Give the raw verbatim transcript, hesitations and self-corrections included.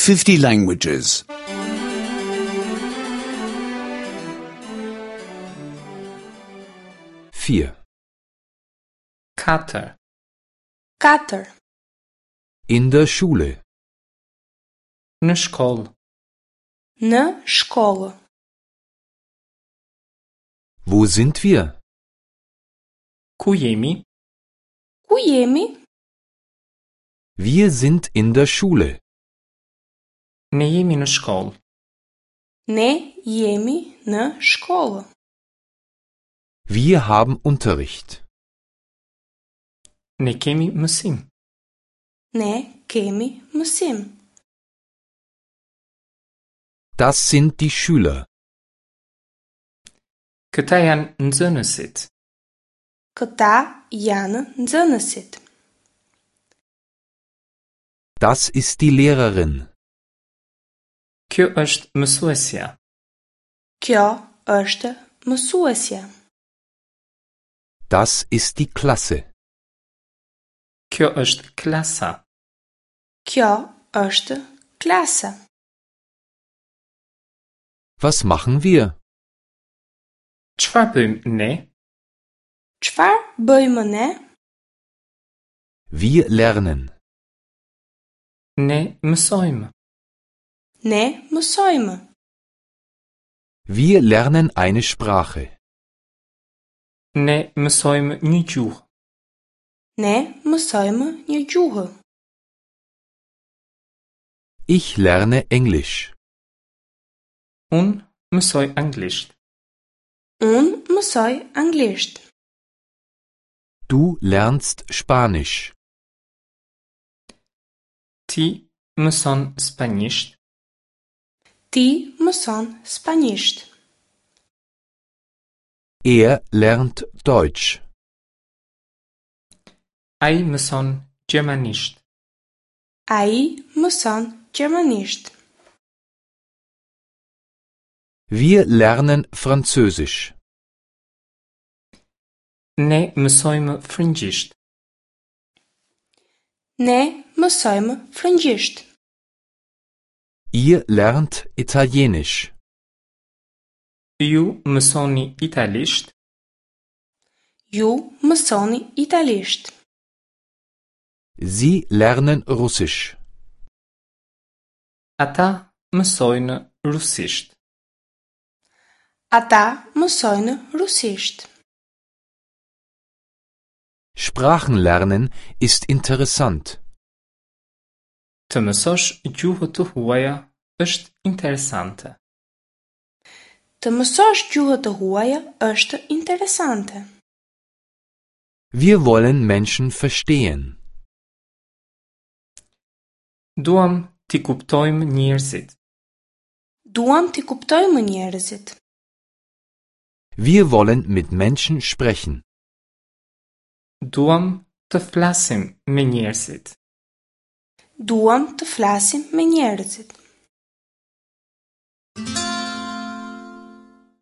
fifty languages. Vier. Katër. Katër. In der Schule. Në shkollë. Në shkollë. Wo sind wir? Ku jemi? Ku jemi? Wir sind in der Schule. Ne jemi në shkollë. Ne jemi në shkollë. Wir haben Unterricht. Ne kemi mësim. Ne kemi mësim. Das sind die Schüler. Këta janë nxënësit. Këta janë nxënësit. Das ist die Lehrerin. Kjo është mësuesja. Kjo është mësuesja. Das ist die Klasse. Kjo është klasa. Kjo është klasa. Was machen wir? Çfarë bëjmë ne? Çfarë bëjmë ne? Wir lernen. Ne mësojmë. Ne mësojmë. Wir lernen eine Sprache. Ne mësojmë një gjuhë. Ne mësojmë një gjuhë. Ich lerne Englisch. Unë mësoj anglisht. Unë mësoj anglisht. Du lernst Spanisch. Ti mëson spanjisht. Ti mëson spanjisht. Er lernt Deutsch. Ai mëson gjermanisht. Ai mëson gjermanisht. Wir lernen Französisch. Ne mësojmë frëngjisht. Ne mësojmë frëngjisht. Ihr lernt Italienisch. Ju mësoni italisht. Ju mësoni italisht. Sie lernen Russisch. Ata mësojnë rusisht. Ata mësojnë rusisht. Sprachen lernen ist interessant. Të mësosh gjuhë të huaja është interesante. Të mësosh gjuhë të huaja është interesante. Wir wollen Menschen verstehen. Duam t'i kuptojmë njerëzit. Duam t'i kuptojmë njerëzit. Wir wollen mit Menschen sprechen. Duam të flasim me njerëzit. Duam të flasim me njerëzit.